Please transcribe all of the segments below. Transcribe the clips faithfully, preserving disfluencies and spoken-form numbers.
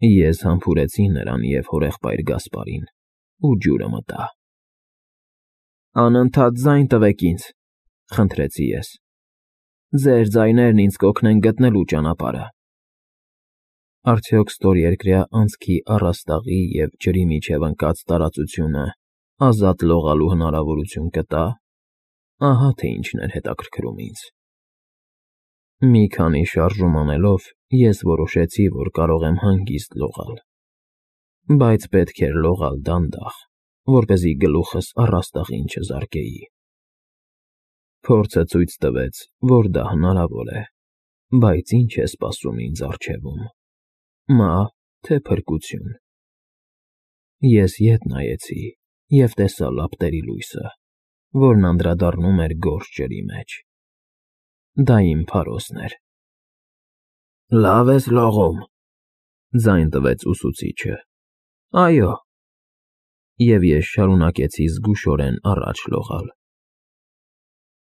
Ես համբուրեցի նրան և հորեղբայր Գասպարին ու ջուրը մտա։ «Անընդհատ ձայն տվեք ինձ», խնդրեցի ես։ «Ձեր ձայներն ինձ կօգնեն գտնելու ճանապարհը»։ Արդյոք ստորերկրյա անցքի առաստաղի և ջրի միջև ընկած տարածությունը ազատ լողալու հնարավորություն կտա՞։ Ահա թե ինչն էր հետաքրքրում ինձ։ Մի քանի շարժում անելով ես որոշեցի, որ կարող եմ հանգիստ լողալ, բայց պետք էր լողալ դանդաղ, որպեսզի գլուխս առաստաղին չզարկեի։ Փորձը ցույց տվեց, որ դա հնարավոր է, բայց ի՞նչ է սպասում ինձ առջևում՝ մահ, թե փրկություն։ Ես ետ նայեցի և տեսա լապտերի լույսը, որն անդրադառնում էր գորշ ջրի մեջ։ Դա իմ փարոսն էր։ «Լավ ես լողում», ձայն տվեց ուսուցիչը։ «Այո»։ Եվ ես շարունակեցի զգուշորեն առաջ լողալ։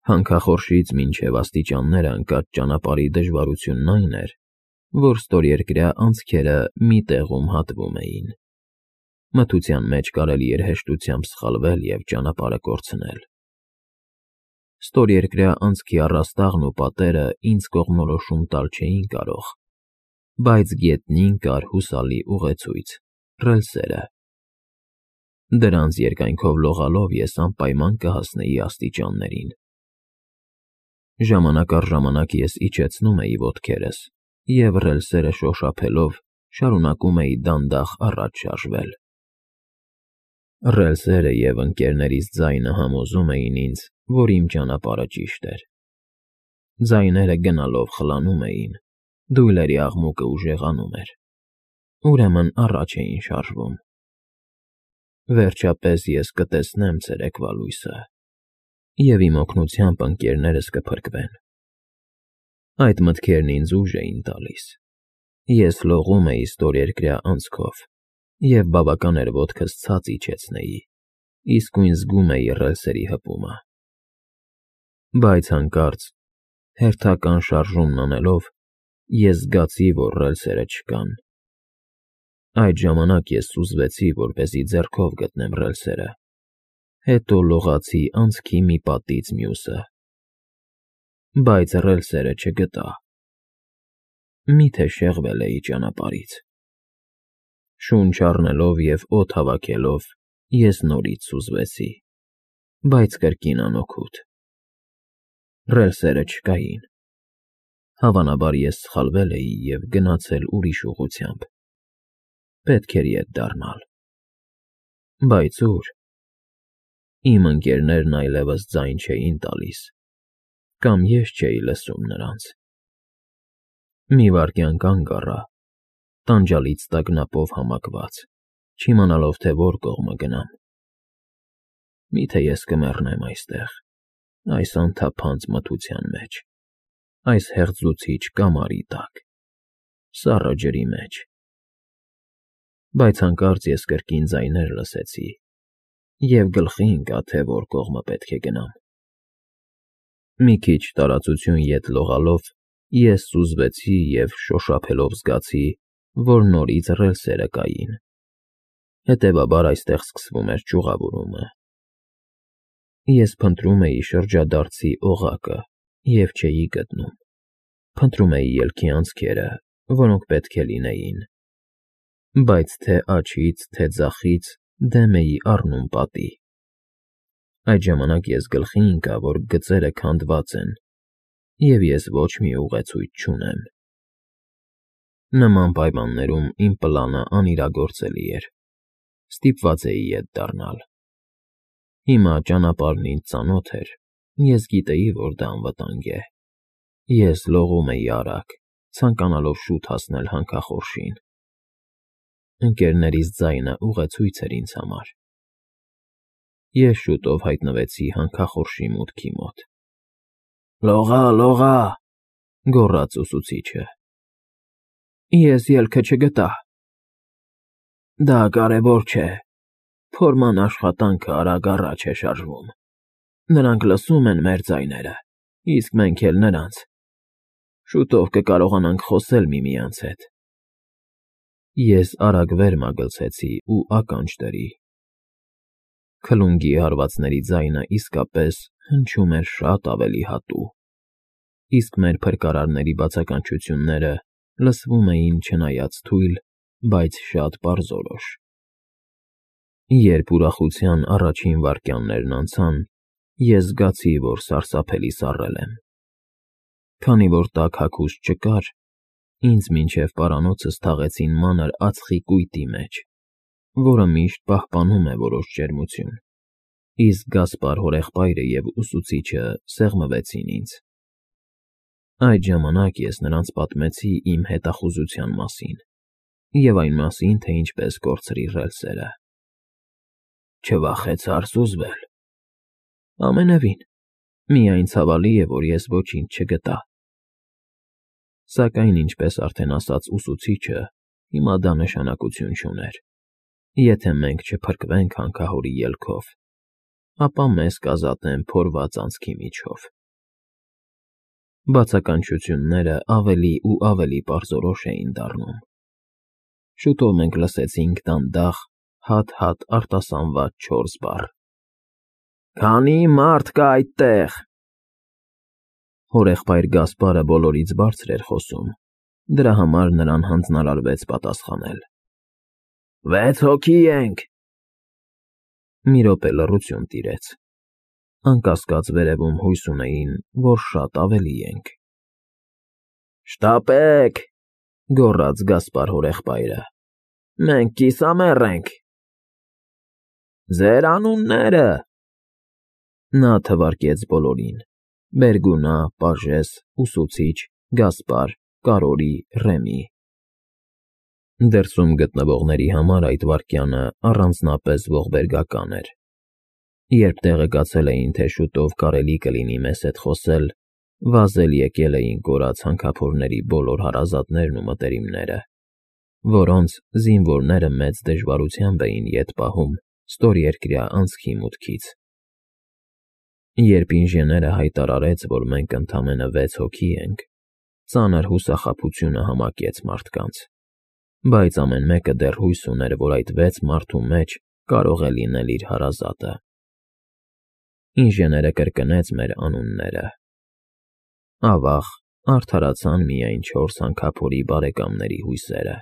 Հանքախորշից մինչև աստիճանները ընկած ճանապարհի դժվարությունն այն էր, որ ստորերկրյա անցքերը մի տեղում հատվում էին։ Մթության մեջ կարելի էր հեշտությամբ սխալվել և ճանապարհը կորցնել։ Ստորերկրյա անցքի առաստաղն ու պատերը ինձ կողմնորոշում տալ չէին կարող, բայց գետնին կար հուսալի ուղեցույց՝ ռելսերը։ Դրանց երկայնքով լողալով ես անպայման կհասնեի աստիճաններին։ Ժամանակ առ ժամանակ ես իջեցնում էի ոտքերս և ռելսերը շոշափելով շարունակում էի դանդաղ առաջ շարժվել։ Ռելսերը և ընկներներիս ձայնը համոզում էին ինձ, որ իմ ճանապարհը ճիշտ էր։ Ձայները գնալով խլանում էին, դույլերի աղմուկը ուժեղանում էր, ուրեմն առաջ էին շարժվում։ Վերջապես ես կտեսնեմ ցերեկվա լույսը, և իմ օգնությամբ ընկներներս կփրկվեն։ Այդ մտքերն ինձ ուժ էին տալիս։ Ես լողում էի ստորերկրյա անցքով և բավական էր ոտքս ցած իջեցնեի, իսկույն զգում էի ռելսերի հպումը։ Բայց հանկարծ, հերթական շարժումն անելով, ես զգացի, որ ռելսերը չկան։ Այդ ժամանակ ես սուզվեցի, որպեսզի ձեռքով գտնեմ ռելսերը, հետո լողացի անցքի մի պատից մյուսը։ Բայց ռելսերը չգտա։ Մի՞թե շեղվել էի ճանապարհից։ Շունչ առնելով և օդ հավաքելով, ես նորից սուզվեցի, բայց կրկին անօգուտ։ Ռելսերը չկային։ Հավանաբար ես սխալվել էի և գնացել ուրիշ ուղղությամբ։ Պետք էր ետ դառնալ։ Բայց ո՞ւր։ Իմ ընկներներն այլևս ձայն չէին տալիս, կամ ես չէի լսում նրանց։ Մի վայրկյան կանգ առա, տանջալից տագնապով համակված, չիմանալով, թե որ կողմը գնամ։ Մի՞թե ես կմեռնեմ այստեղ, այս անթափանց մթության մեջ, այս հեղձուցիչ կամարի տակ, սառը ջրի մեջ։ Բայց հանկարծ ես կրկին ձայներ լսեցի, և գլխի ընկա, թե որ կողմը պետք է գնամ։ Մի քիչ տարածություն ետ լողալով ես սուզվեցի և շոշափելով զգացի, որ նորից ռելսերը կային, հետևաբար այստեղ սկսվում էր ճյուղավորումը։ Ես փնտրում էի շրջադարձի օղակը և չէի գտնում, փնտրում էի ելքի անցքերը, որոնք պետք է լինեին, բայց թե աջից, թե ձախից դեմ էի առնում պատի։ Այդ ժամանակ ես գլխի ընկա, որ գծերը քանդված են, և ես ոչ մի ուղեցույց չունեմ։ Նման պայմաններում իմ պլանը անիրագործելի էր։ Ստիպված էի ետ դառնալ։ Հիմա ճանապարհն ինձ ծանոթ էր, ես գիտեի, որ դա անվտանգ է։ Ես լողում էի արագ, ցանկանալով շուտ հասնել հանքախորշին։ Ընկներներիս ձայնը ուղեցույց էր ինձ համար։ Ես շուտով հայտնվեցի հանքախորշի մուտքի մոտ։ «Լողա, լողա», գոռաց ուսուցիչը։ Ես ելքը չգտա։ Դա կարևոր չէ։ Փորման աշխատանքը արագ առաջ է շարժվում։ Նրանք լսում են մեր ձայները, իսկ մենք էլ՝ նրանց։ Շուտով կկարողանանք խոսել միմյանց հետ։ Ես արագ վեր մագլցեցի ու ականջ դրի։ Քլունգի հարվածների ձայնը իսկապես հնչում էր շատ ավելի հատուկ, իսկ մեր փրկարարների բացականչությունները լսվում էին չնայած թույլ, բայց շատ պարզորոշ։ Երբ ուրախության առաջին վայրկյաններն անցան, ես զգացի, որ սարսափելի սառել եմ։ Քանի որ տաք հագուստ չկար, ինձ մինչև պարանոցս թաղեցին մանր ածխի կույտի մեջ, որը միշտ պահպանում է որոշ ջերմություն, իսկ Գասպար հորեղբայրը և ուսուցիչը սեղմվեցին ինձ։ Այդ ժամանակ ես նրանց պատմեցի իմ հետախուզության մասին և այն մասին, թե ինչպես կորցրի ռելսերը։ Չվախեցա՞ր սուզվել։ Ամենևին, միայն ցավալի է, որ ես ոչինչ չգտա։ Սակայն, ինչպես արդեն ասաց ուսուցիչը, հիմա դա նշանակություն չուներ։ Եթե մենք չփրկվենք հանքահորի ելքով, ապա մեզ կազատեն փորված անցքի միջով։ Բացականչությունները ավելի ու ավելի պարզորոշ էին դառնում։ Շուտով մենք լսեցինք դանդաղ, հատ֊հատ արտասանված չորս բառ. «Քանի՞ մարդ կա այդտեղ»։ Հորեղբայր Գասպարը բոլորից բարձր էր խոսում, դրա համար նրան հանձնարարվեց պատասխանել։ «Վեց հոգի ենք»։ Մի րոպե լռություն տիրեց։ Անկասկած վերևում հույս ունեին, որ շատ ավելի ենք։ «Շտապեք», գոռաց Գասպար հորեղբայրը, «մենք կիսամեռ ենք»։ «Ձեր անուննե՞րը»։ Նա թվարկեց բոլորին՝ Բերգունա, Պաժես, ուսուցիչ, Գասպար, Կարորի, Ռեմի։ Դրսում գտնվողների համար այդ վայրկյանը առանձնապես ողբերգական էր։ Երբ տեղեկացել էին, թե շուտով կարելի կլինի մեզ հետ խոսել, վազել եկել էին կորած հանքափորների բոլոր հարազատներն ու մտերիմները, որոնց զինվորները մեծ դժվարությամբ էին ետ պահում ստորերկրյա անցքի մուտքից։ Երբ ինժեները հայտարարեց, որ մենք ընդամենը վեց հոգի ենք, ծանր հուսախաբությունը համակեց մարդկանց, բայց ամեն մեկը դեռ հույս ուներ, որ այդ վեց մարդու մեջ կարող է լինել իր հարազատը։ Ինժեները կրկնեց մեր անունները։ Ավաղ, արդարացան միայն չորս հանքափորի բարեկամների հույսերը։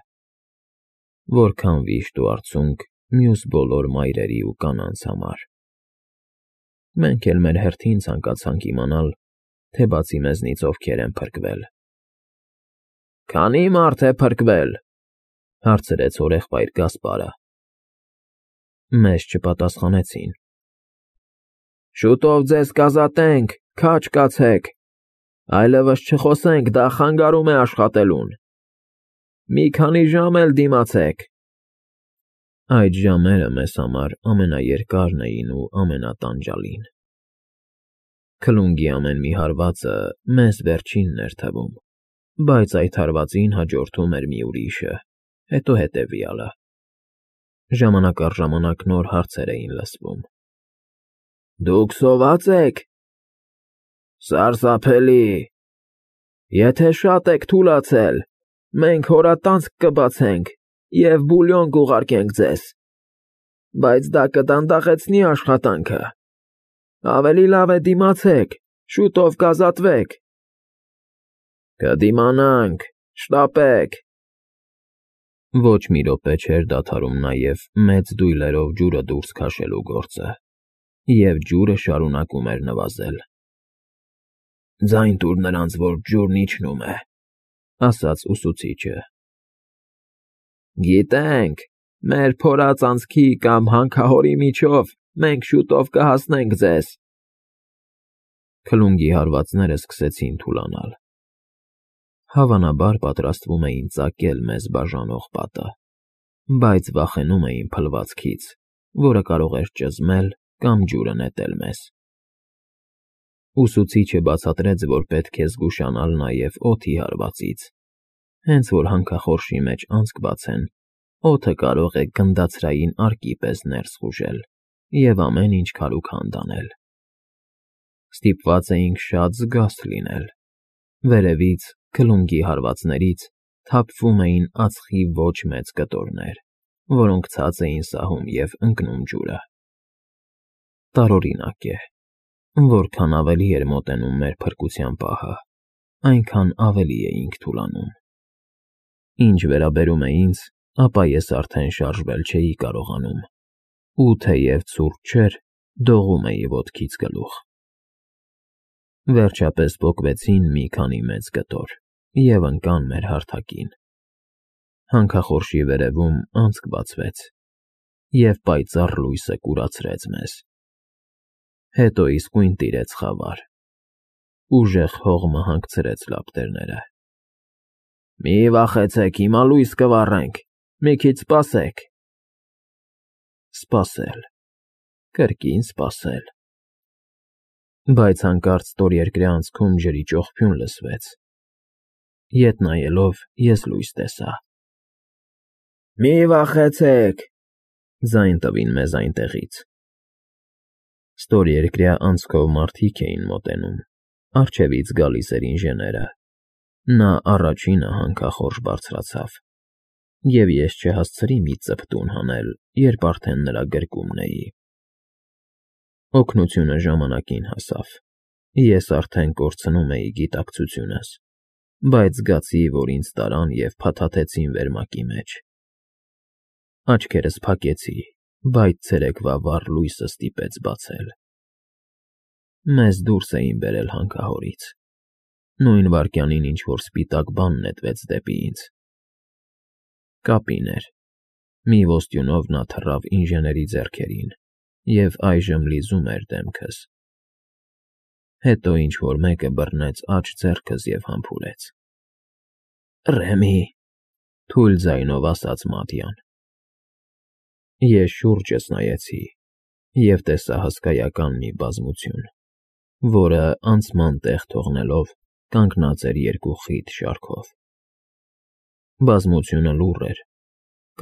Որքան վիշտ ու արցունք մյուս բոլոր մայրերի ու կանանց համար։ Մենք էլ մեր հերթին ցանկացանք իմանալ, թե բացի մեզնից ովքեր են փրկվել։ «Քանի՞ մարդ է փրկվել», հարցրեց հորեղբայր Գասպարը։ Մեզ չպատասխանեցին։ «Շուտով ձեզ կազատենք, քաջ կացեք, այլևս չխոսենք, դա խանգարում է աշխատելուն։ Մի քանի ժամ էլ դիմացեք»։ Այդ ժամերը մեզ համար ամենաերկարն էին ու ամենատանջալին։ Քլունգի ամեն մի հարվածը մեզ վերջինն էր թվում, բայց այդ հարվածին հաջորդում էր մի ուրիշը, հետո հետևյալը։ Ժամանակ առ ժամանակ նոր հարցեր էին լսվում։ «Դուք սոված ե՞ք»։ «Սարսափելի։ Եթե շատ եք թուլացել, մենք հորատանցք կբացենք և բուլյոն կուղարկենք ձեզ, բայց դա կդանդաղեցնի աշխատանքը։ Ավելի լավ է դիմացեք, շուտով կազատվեք»։ «Կդիմանանք, շտապեք»։ Ոչ մի րոպե չէր դադարում նաև մեծ դույլերով ջուրը դուրս քաշելու գործը, և ջուրը շարունակում էր նվազել։ «Ձայն տուր նրանց, որ ջուրն իջնում է», ասաց ուսուցիչը։ «Գիտենք, մեր փորած անցքի կամ հանքահորի միջով մենք շուտով կհասնենք ձեզ»։ Քլունգի հարվածները սկսեցին թուլանալ։ Հավանաբար պատրաստվում էին ծակել մեզ բաժանող պատը, բայց վախենում էին փլվածքից, որը կարող էր ճզմել կամ ջուրը նետել մեզ։ Ուսուցիչը բացատրեց, որ պետք է զգուշանալ նաև օդի հարվածից, հենց որ հանքախորշի մեջ անցք բացեն, օդը կարող է գնդացրային արկի պես ներս խուժել և ամեն ինչ քարուքանդ անել։ Ստիպված էինք շատ զգաստ լինել։ Վերևից, քլունգի հարվածներից, թափվում էին ածխի ոչ մեծ կտորներ, որոնք ցած էին սահում և ընկնում ջուրը։ Տարօրինակ է, որքան ավելի էր մոտենում մեր փրկության պահը, այնքան ավելի էինք թուլանում։ Ինչ վերաբերում է ինձ, ապա ես արդեն շարժվել չէի կարողանում, ու թեև ցուրտ չէր, դողում էի ոտքից գլուխ։ Վերջապես պոկվեցին մի քանի մեծ կտոր և ընկան մեր հարթակին։ Հանքախորշի վերևում անցք բացվեց, և պայծառ լույսը կուրացրեց մեզ։ Հետո իսկույն տիրեց խավար։ Ուժեղ հողմը հանգցրեց լապտերները։ «Մի վախեցեք, հիմա լույս կվառենք, մի քիչ սպասեք»։ Սպասել, կրկին սպասել։ Բայց հանկարծ ստորերկրյա անցքում ջրի ճողփյուն լսվեց։ Ետ նայելով՝ ես լույս տեսա։ «Մի վախեցեք», ձայն տվին մեզ այնտեղից։ Ստորերկրյա անցքով մարդիկ էին մոտենում, առջևից գալիս էր ինժեները։ Նա առաջինը հանքախորշ բարձրացավ, և ես չհասցրի մի ծպտուն հանել, երբ արդեն նրա գրկումն էի։ Օգնությունը ժամանակին հասավ։ Ես արդեն կորցնում էի գիտակցությունս, բայց զգացի, որ ինձ տարան և փաթաթեցին վերմակի մեջ։ Աչքերս փակեցի, բայց ցերեկվա վառ լույսը ստիպեց բացել։ Մեզ դուրս էին բերել հանքահորից։ Նույն վայրկյանին ինչ-որ սպիտակ բան նետվեց դեպի ինձ։ Կապին էր։ Մի ոստյունով նա թռավ ինժեների ձեռքերին և այժմ լիզում էր դեմքս։ Հետո ինչ֊որ մեկը բռնեց աջ ձեռքս և համբուրեց։ «Ռեմի», թույլ ձայնով ասաց Մատյան։ Ես շուրջս նայեցի և տեսա հսկայական մի բազմություն, որը, անցման տեղ թողնելով, կանգնած էր երկու խիտ շարքով։ Բազմությունը լուռ էր,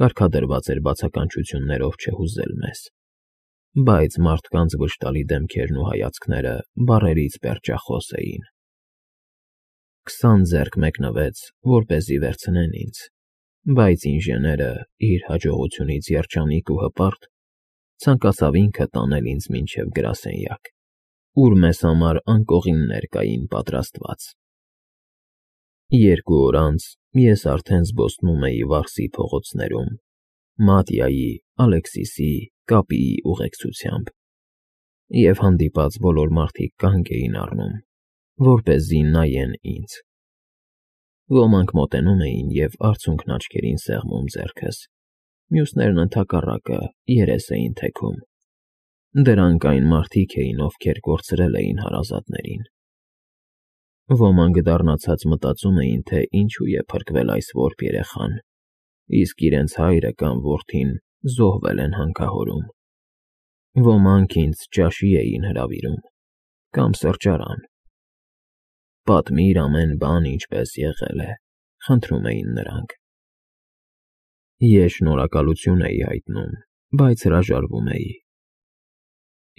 կարգադրված էր բացականչություններով չհուզել մեզ, բայց մարդկանց վշտալի դեմքերն ու հայացքները բառերից պերճախոս էին։ Քսան ձեռք մեկնվեց, որպեսզի վերցնեն ինձ, բայց ինժեները, իր հաջողությունից երջանիկ ու հպարտ, ցանկացավ ինքը տանել ինձ մինչև գրասենյակ, ուր մեզ համար անկողիններ կային պատրաստված։ Երկու օր անց ես արդեն զբոսնում էի Վարսի փողոցներում, Մատյայի, Ալեքսիսի, Կապիի ուղեկցությամբ, և հանդիպած բոլոր մարդիկ կանգ էին առնում, որպեսզի նայեն ինձ։ Ոմանք մոտենում էին և արցունքն աչքերին սեղմում ձեռքս, մյուսներն ընդհակառակը երես էին թեքում։ Դրանք այն մարդիկ էին, ովքեր կորցրել էին հարազատներին։ Ոմանք դառնացած մտածում էին, թե ինչու է փրկվել այս որբ երեխան, իսկ իրենց հայրը կամ որդին զոհվել են հանքահորում։ Ոմանք ինձ ճաշի էին հրավիրում կամ սրճարան։ «Պատմիր ամեն բան, ինչպես եղել է», խնդրում էին նրանք։ Ես շնորհակալություն էի հայտնում, բայց հրաժարվում էի։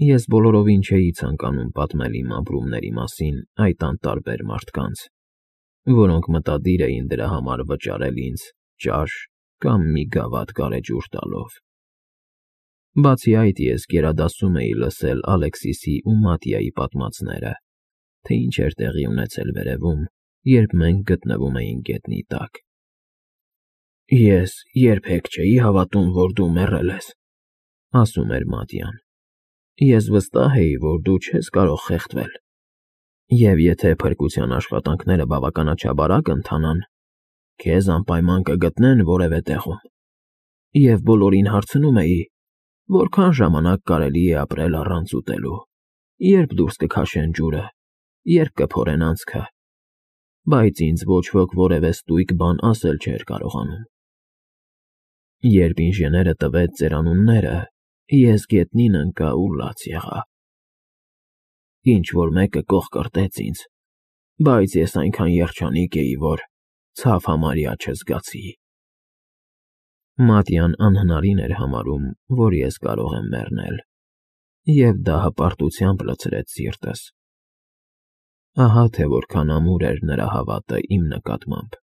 Ես բոլորովին չէի ցանկանում պատմել իմ ապրումների մասին այդ անտարբեր մարդկանց, որոնք մտադիր էին դրա համար վճարել ինձ ճաշ կամ մի գավաթ գարեջուր տալով։ Բացի այդ, ես գերադասում էի լսել Ալեքսիսի ու Մատյայի պատմածները, թե ինչ էր տեղի ունեցել վերևում, երբ մենք գտնվում էինք գետնի տակ։ «Ես երբեք չէի հավատում, որ դու մեռել ես», ասում էր Մատյան։ «Ես վստահ էի, որ դու չես կարող խեղդվել, և եթե փրկության աշխատանքները բավականաչափ արագ ընթանան, քեզ անպայման կգտնեն որևէ տեղում։ Եվ բոլորին հարցնում էի, որքան ժամանակ կարելի է ապրել առանց ուտելու, երբ դուրս կքաշեն ջուրը, երբ կփորեն անցքը, բայց ինձ ոչ ոք որևէ ստույգ բան ասել չէր կարողանում։ Երբ ինժեները տվեց ձեր անունները, ես գետնին ընկա ու լաց եղա։ Ինչ֊որ մեկը կոխկրտեց ինձ, բայց ես այնքան երջանիկ էի, որ ցավ համարյա չզգացի»։ Մատյան անհնարին էր համարում, որ ես կարող եմ մեռնել, և դա հպարտությամբ լցրեց սիրտս։ Ահա թե որքան ամուր էր նրա հավատը իմ նկատմամբ։